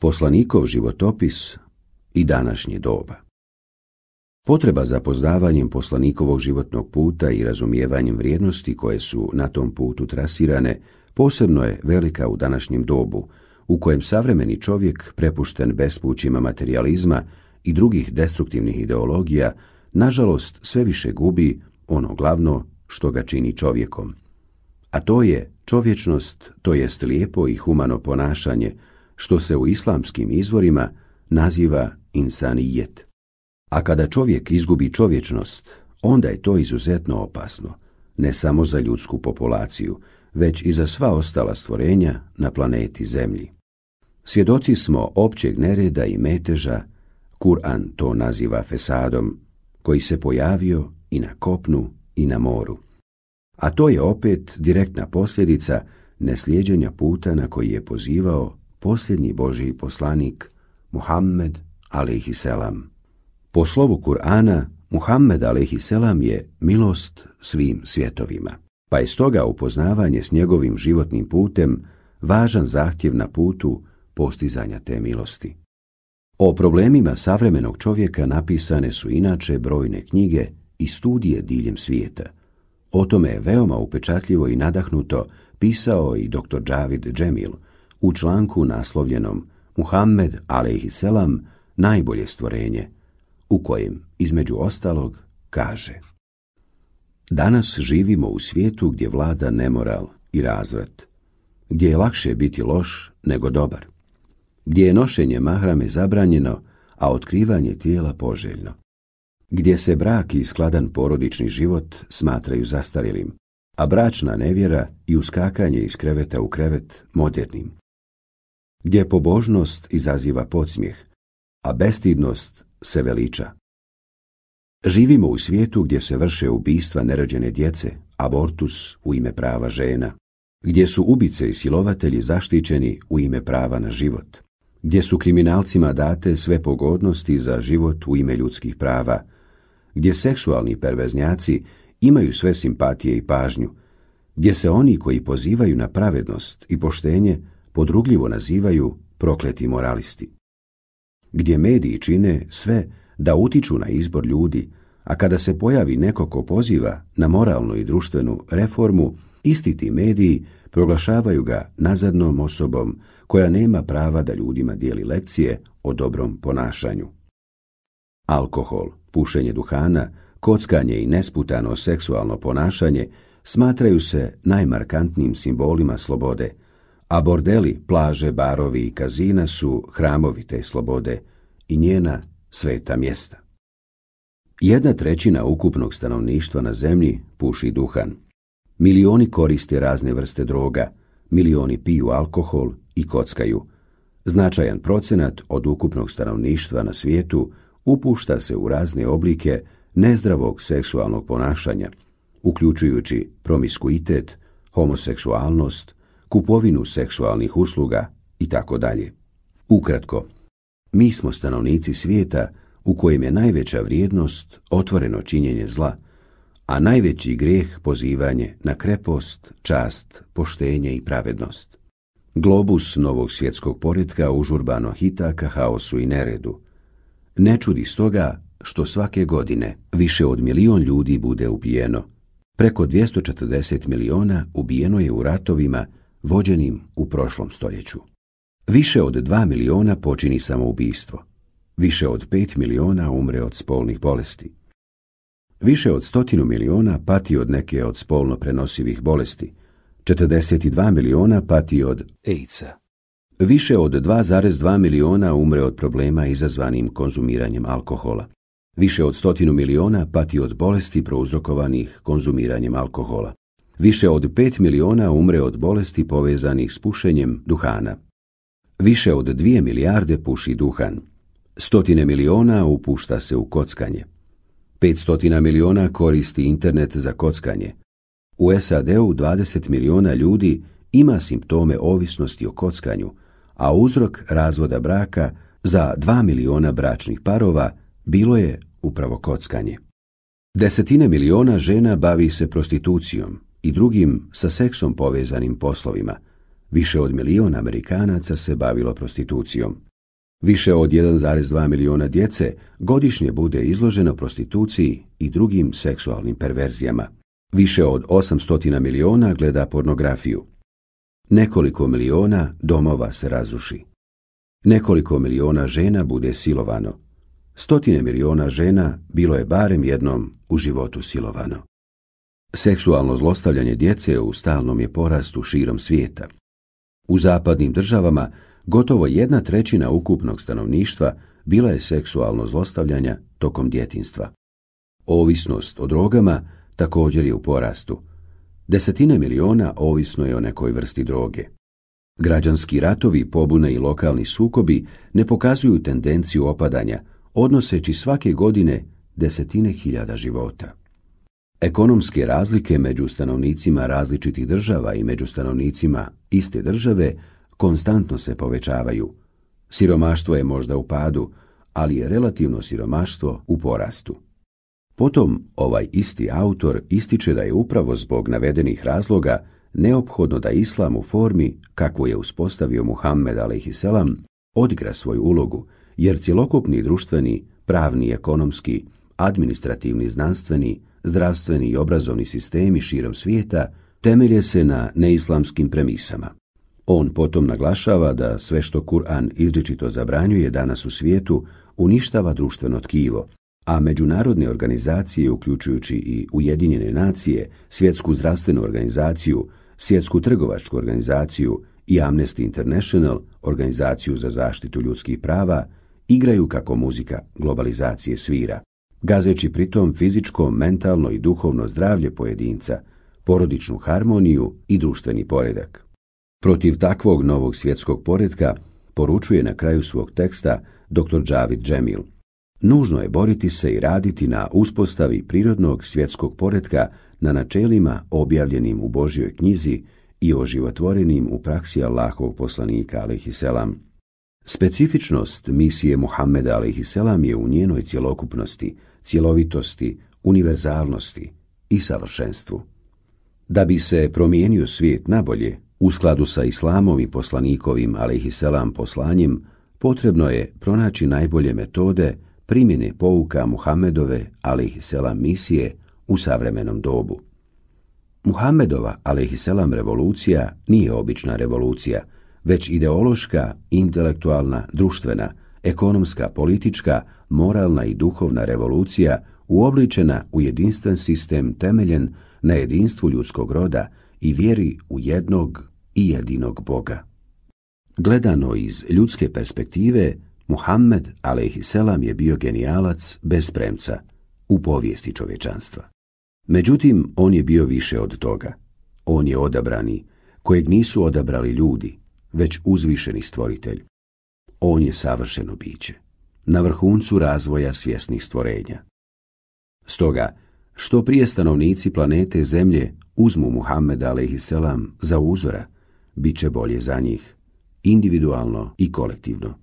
Poslanikov životopis i današnje doba. Potreba za poznavanjem poslanikovog životnog puta i razumijevanjem vrijednosti koje su na tom putu trasirane posebno je velika u današnjem dobu, u kojem savremeni čovjek, prepušten bespućima materijalizma i drugih destruktivnih ideologija, nažalost sve više gubi ono glavno što ga čini čovjekom. A to je čovječnost, to jest lijepo i humano ponašanje, što se u islamskim izvorima naziva insanijet. A kada čovjek izgubi čovječnost, onda je to izuzetno opasno, ne samo za ljudsku populaciju, već i za sva ostala stvorenja na planeti Zemlji. Svjedoci smo općeg nereda i meteža, Kur'an to naziva fesadom, koji se pojavio i na kopnu i na moru. A to je opet direktna posljedica neslijeđenja puta na koji je pozivao posljednji Božji poslanik Muhammed alejhiselam. Po slovu Kur'ana, Muhammed alejhiselam je milost svim svjetovima, pa je stoga upoznavanje s njegovim životnim putem važan zahtjev na putu postizanja te milosti. O problemima savremenog čovjeka napisane su inače brojne knjige i studije diljem svijeta. O tome je veoma upečatljivo i nadahnuto pisao i dr. Džavid Džemil u članku naslovljenom Muhammed alejhiselam najbolje stvorenje, u kojem, između ostalog, kaže: Danas živimo u svijetu gdje vlada nemoral i razvrat, gdje je lakše biti loš nego dobar, gdje je nošenje mahrame zabranjeno, a otkrivanje tijela poželjno, gdje se brak i skladan porodični život smatraju zastarjelim, a bračna nevjera i uskakanje iz kreveta u krevet modernim, gdje pobožnost izaziva podsmijeh, a bestidnost se veliča. Živimo u svijetu gdje se vrše ubistva nerođene djece, abortus u ime prava žena, gdje su ubice i silovatelji zaštićeni u ime prava na život, gdje su kriminalcima date sve pogodnosti za život u ime ljudskih prava, gdje seksualni perverznjaci imaju sve simpatije i pažnju, gdje se oni koji pozivaju na pravednost i poštenje podrugljivo nazivaju prokleti moralisti, gdje mediji čine sve da utiču na izbor ljudi, a kada se pojavi neko ko poziva na moralnu i društvenu reformu, isti ti mediji proglašavaju ga nazadnom osobom koja nema prava da ljudima dijeli lekcije o dobrom ponašanju. Alkohol, pušenje duhana, kockanje i nesputano seksualno ponašanje smatraju se najmarkantnijim simbolima slobode, a bordeli, plaže, barovi i kazina su hramovi te slobode i njena sveta mjesta. 1/3 ukupnog stanovništva na zemlji puši duhan. Milioni koriste razne vrste droga, milioni piju alkohol i kockaju. Značajan procenat od ukupnog stanovništva na svijetu upušta se u razne oblike nezdravog seksualnog ponašanja, uključujući promiskuitet, homoseksualnost, kupovinu seksualnih usluga itd. Ukratko, mi smo stanovnici svijeta u kojem je najveća vrijednost otvoreno činjenje zla, a najveći grijeh pozivanje na krepost, čast, poštenje i pravednost. Globus novog svjetskog poretka užurbano hita ka haosu i neredu. Ne čudi stoga što svake godine više od 1 milion ljudi bude ubijeno. Preko 240 miliona ubijeno je u ratovima vođenim u prošlom stoljeću. Više od 2 miliona počini samoubistvo. Više od 5 miliona umre od spolnih bolesti. Više od 100 miliona pati od neke od spolno prenosivih bolesti. 42 miliona pati od AIDS-a. Više od 2,2 miliona umre od problema izazvanim konzumiranjem alkohola. Više od 100 miliona pati od bolesti prouzrokovanih konzumiranjem alkohola. Više od 5 miliona umre od bolesti povezanih s pušenjem duhana. Više od 2 milijarde puši duhan. 100 miliona upušta se u kockanje. 500 miliona koristi internet za kockanje. U SAD-u 20 miliona ljudi ima simptome ovisnosti o kockanju, a uzrok razvoda braka za 2 miliona bračnih parova bilo je upravo kockanje. 10 miliona žena bavi se prostitucijom i drugim sa seksom povezanim poslovima. Više od 1 milion Amerikanaca se bavilo prostitucijom. Više od 1,2 miliona djece godišnje bude izloženo prostituciji i drugim seksualnim perverzijama. Više od 800 miliona gleda pornografiju. Nekoliko miliona domova se razruši. Nekoliko miliona žena bude silovano. Stotine miliona žena bilo je barem jednom u životu silovano. Seksualno zlostavljanje djece u stalnom je porastu širom svijeta. U zapadnim državama gotovo 1/3 ukupnog stanovništva bila je seksualno zlostavljanja tokom djetinjstva. Ovisnost o drogama također je u porastu. Desetine miliona ovisno je o nekoj vrsti droge. Građanski ratovi, pobune i lokalni sukobi ne pokazuju tendenciju opadanja, odnoseći svake godine desetine hiljada života. Ekonomske razlike među stanovnicima različitih država i među stanovnicima iste države konstantno se povećavaju. Siromaštvo je možda u padu, ali je relativno siromaštvo u porastu. Potom ovaj isti autor ističe da je upravo zbog navedenih razloga neophodno da islam u formi, kakvu je uspostavio Muhammed a.s., odigra svoju ulogu, jer cjelokupni društveni, pravni, ekonomski, administrativni, znanstveni, zdravstveni i obrazovni sistemi širom svijeta temelje se na neislamskim premisama. On potom naglašava da sve što Kur'an izričito zabranjuje danas u svijetu uništava društveno tkivo, a međunarodne organizacije, uključujući i Ujedinjene nacije, Svjetsku zdravstvenu organizaciju, Svjetsku trgovačku organizaciju i Amnesty International, organizaciju za zaštitu ljudskih prava, igraju kako muzika globalizacije svira, gazeći pritom fizičko, mentalno i duhovno zdravlje pojedinca, porodičnu harmoniju i društveni poredak. Protiv takvog novog svjetskog poretka poručuje na kraju svog teksta dr. Džavid Džemil: nužno je boriti se i raditi na uspostavi prirodnog svjetskog poretka na načelima objavljenim u Božjoj knjizi i oživotvorenim u praksi Allahovog poslanika a.s. Specifičnost misije Muhammeda a.s. je u njenoj cjelokupnosti, cjelovitosti, univerzalnosti i savršenstvu. Da bi se promijenio svijet nabolje, u skladu sa islamom i poslanikovim a.s. poslanjem, potrebno je pronaći najbolje metode primjene pouka Muhammedove a.s. misije u savremenom dobu. Muhammedova a.s. revolucija nije obična revolucija, već ideološka, intelektualna, društvena, ekonomska, politička, moralna i duhovna revolucija uobličena u jedinstven sistem temeljen na jedinstvu ljudskog roda i vjeri u jednog i jedinog Boga. Gledano iz ljudske perspektive, Muhammed a.s. je bio genijalac bez premca u povijesti čovječanstva. Međutim, on je bio više od toga. On je odabrani, kojeg nisu odabrali ljudi, već uzvišeni stvoritelj. On je savršeno biće, na vrhuncu razvoja svjesnih stvorenja. Stoga, što prije stanovnici planete Zemlje uzmu Muhammeda a.s. za uzora, bit će bolje za njih, individualno i kolektivno.